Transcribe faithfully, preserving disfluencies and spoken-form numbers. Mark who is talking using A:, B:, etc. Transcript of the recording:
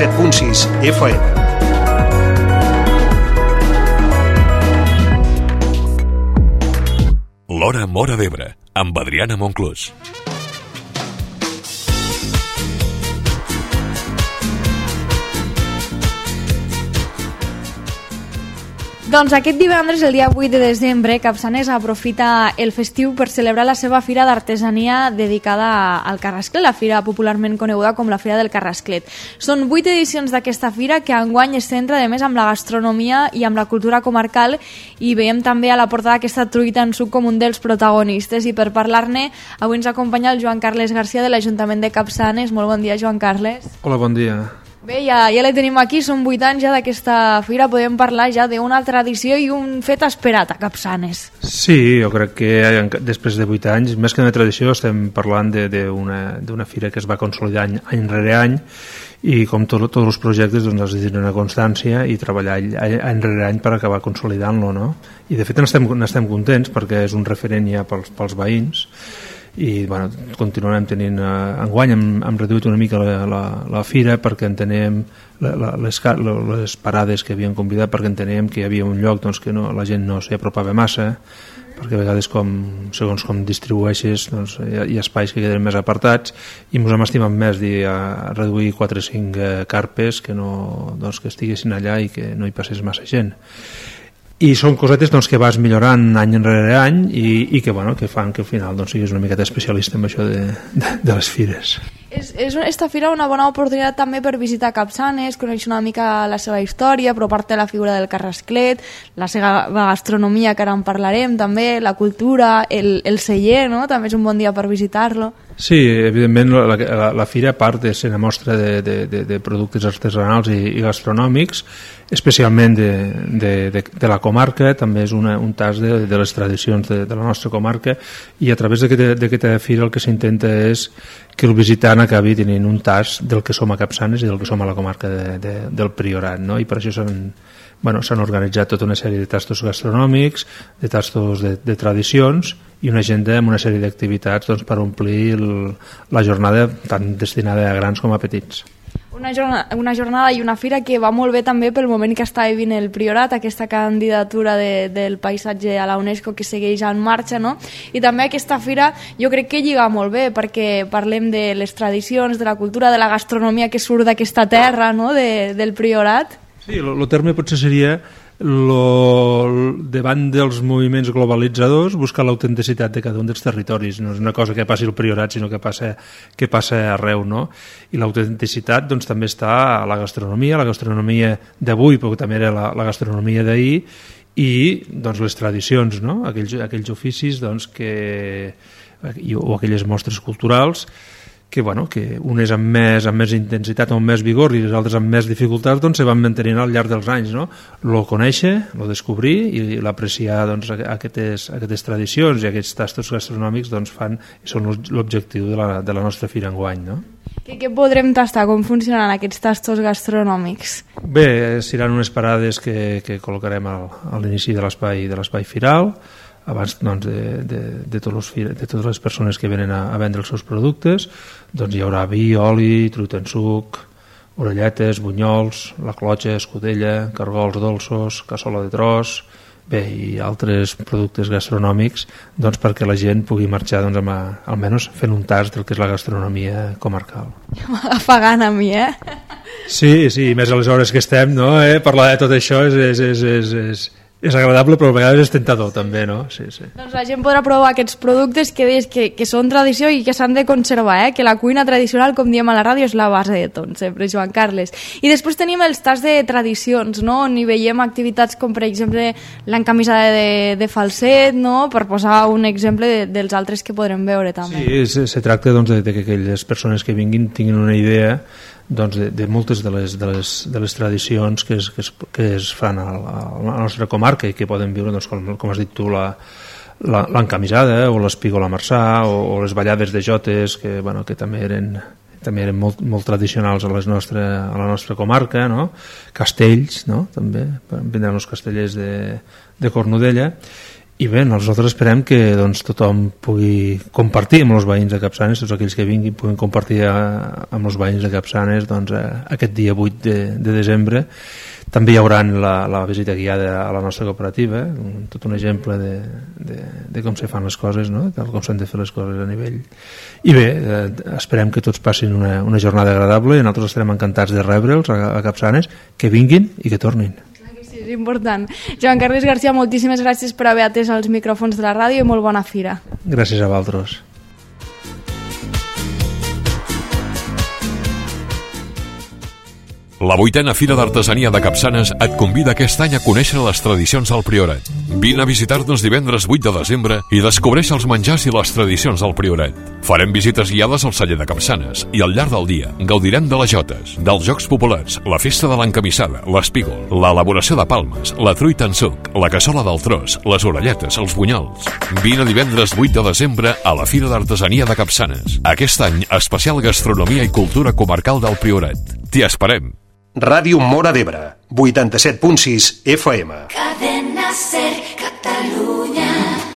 A: set punt sis F M.
B: L'Hora Móra d'Ebre, amb Adriana Monclús.
C: Doncs aquest divendres, el dia vuit de desembre, Capçanes aprofita el festiu per celebrar la seva fira d'artesania dedicada al Carrasclet, la fira popularment coneguda com la Fira del Carrasclet. Són vuit edicions d'aquesta fira que enguany es centra, a més, amb la gastronomia i amb la cultura comarcal, i veiem també a la portada aquesta truita en suc com un dels protagonistes. I per parlar-ne, avui ens acompanya el Joan Carles Garcia de l'Ajuntament de Capçanes. Molt bon dia, Joan Carles.
D: Hola, bon dia.
C: Bé, ja, ja la tenim aquí, són vuit anys ja d'aquesta fira, podem parlar ja d'una tradició i un fet esperat a Capçanes.
D: Sí, jo crec que després de vuit anys, més que una tradició, estem parlant d'una fira que es va consolidar any, any rere any, i com tot, tots els projectes doncs, has de tenir una constància i treballar any, any rere any per acabar consolidant-lo, no? I de fet n'estem n'estem contents perquè és un referent ja pels, pels veïns, i bueno, continuarem tenint eh, enguany hem, hem reduït una mica la, la, la fira perquè entenem la, la, les, les parades que havien convidat, perquè entenem que hi havia un lloc doncs, que no, la gent no s'hi apropava massa, perquè a vegades com, segons com distribueixes doncs, hi, ha, hi ha espais que queden més apartats, i ens hem estimat més dir, a reduir quatre o cinc eh, carpes que, no, doncs, que estiguessin allà i que no hi passés massa gent. I són cosetes doncs, que vas millorant any enrere any i, i que, bueno, que fan que al final doncs, siguis una miqueta especialista en això de, de, de les fires.
C: És, és esta fira una bona oportunitat també per visitar Capçanes, conèixer una mica la seva història, apropar-te a la figura del Carrasclet, la seva gastronomia, que ara en parlarem també, la cultura, el, el celler, no? També és un bon dia per visitar-lo.
D: Sí, evidentment la, la, la fira, a part de ser una mostra de, de, de, de productes artesanals i, i gastronòmics, especialment de, de, de, de la comarca, també és una, un tas de, de les tradicions de, de la nostra comarca, i a través d'aquesta fira el que s'intenta és que el visitant acabi tenint un tas del que som a Capçanes i del que som a la comarca de, de, del Priorat, no? I per això s'han bueno, s'han organitzat tota una sèrie de tastos gastronòmics, de tastos de, de tradicions, i una agenda amb una sèrie d'activitats doncs, per omplir el, la jornada tant destinada a grans com a petits.
C: Una jornada, una jornada i una fira que va molt bé també pel moment que està vivint el Priorat, aquesta candidatura de, del paisatge a la UNESCO que segueix en marxa, no? I també aquesta fira jo crec que lliga molt bé perquè parlem de les tradicions, de la cultura, de la gastronomia que surt d'aquesta terra, no? de, del Priorat.
D: Sí, el terme potser seria lo, davant dels moviments globalitzadors buscar l'autenticitat de cada un dels territoris. No és una cosa que passi al Priorat, sinó que passa, que passa arreu, no? I l'autenticitat doncs, també està a la gastronomia, la gastronomia d'avui, però també era la, la gastronomia d'ahir, i doncs, les tradicions, no? aquells, aquells oficis doncs, que, o aquelles mostres culturals que, bueno, que unes amb més, amb més intensitat o amb més vigor i les altres amb més dificultats doncs, se van mantenint al llarg dels anys, no? Lo conèixer, lo descobrir i l'apreciar doncs, aquestes, aquestes tradicions i aquests tastos gastronòmics doncs, fan, són l'objectiu de la, de la nostra fira enguany, no?
C: Què, què podrem tastar? Com funcionaran aquests tastos gastronòmics?
D: Bé, seran unes parades que, que col·locarem al, a l'inici de l'espai de l'espai firal, abans doncs, de, de, de, tots els, de totes les persones que venen a, a vendre els seus productes. Doncs hi haurà vi, oli, truita en suc, orelletes, bunyols, la clotxa, escudella, cargols dolços, cassola de tros, bé, i altres productes gastronòmics doncs, perquè la gent pugui marxar doncs, amb a, almenys fent un tast del que és la gastronomia comarcal.
C: Afagant a mi, eh?
D: Sí, sí, més a les hores que estem, no? eh? Parlar de tot això és... és, és, és, és és agradable, però a vegades és tentador també, no? Sí, sí.
C: Doncs la gent podrà provar aquests productes que deies que, que són tradició i que s'han de conservar, eh? Que la cuina tradicional, com diem a la ràdio, és la base de tot, sempre, Joan Carles. I després tenim els tasts de tradicions, no? On hi veiem activitats com, per exemple, l'encamisada de, de falset, no? Per posar un exemple de, dels altres que podrem veure també.
D: Sí, se, se tracta doncs, de, de que aquelles persones que vinguin tinguin una idea doncs, de, de moltes de les, de les, de les tradicions que es, que es, que es fan a la, a la nostra comarca i que poden viure, doncs, com, com has dit tu, la, la, l'encamisada o l'espígola marçà o, o les ballades de jotes que, bueno, que també eren, també eren molt, molt tradicionals a, les nostre, a la nostra comarca, no? Castells, no? També vindran els castellers de, de Cornudella. I bé, nosaltres esperem que doncs, tothom pugui compartir amb els veïns de Capçanes, tots aquells que vinguin puguin compartir a, amb els veïns de Capçanes doncs, a, aquest dia vuit de, de desembre. També hi haurà la, la visita guiada a la nostra cooperativa, un, tot un exemple de, de, de com se fan les coses, no? De com s'han de fer les coses a nivell. I bé, eh, esperem que tots passin una, una jornada agradable i nosaltres estarem encantats de rebre'ls a, a Capçanes, que vinguin i que tornin.
C: És important. Joan Carles García, moltíssimes gràcies per haver atès els micròfons de la ràdio i molt bona fira.
D: Gràcies a vosaltres.
B: La vuitena Fira d'Artesania de Capçanes et convida aquest any a conèixer les tradicions del Priorat. Vine a visitar-nos divendres vuit de desembre i descobreix els menjars i les tradicions del Priorat. Farem visites guiades al celler de Capçanes i al llarg del dia gaudirem de les jotes, dels jocs populars, la festa de l'encamissada, l'espígol, l'elaboració de palmes, la truita en suc, la cassola del tros, les orelletes, els bunyols. Vine divendres vuit de desembre a la Fira d'Artesania de Capçanes. Aquest any, especial gastronomia i cultura comarcal del Priorat. T'hi esperem!
A: Ràdio Móra d'Ebre, vuitanta-set punt sis F M.
E: Cadena Ser.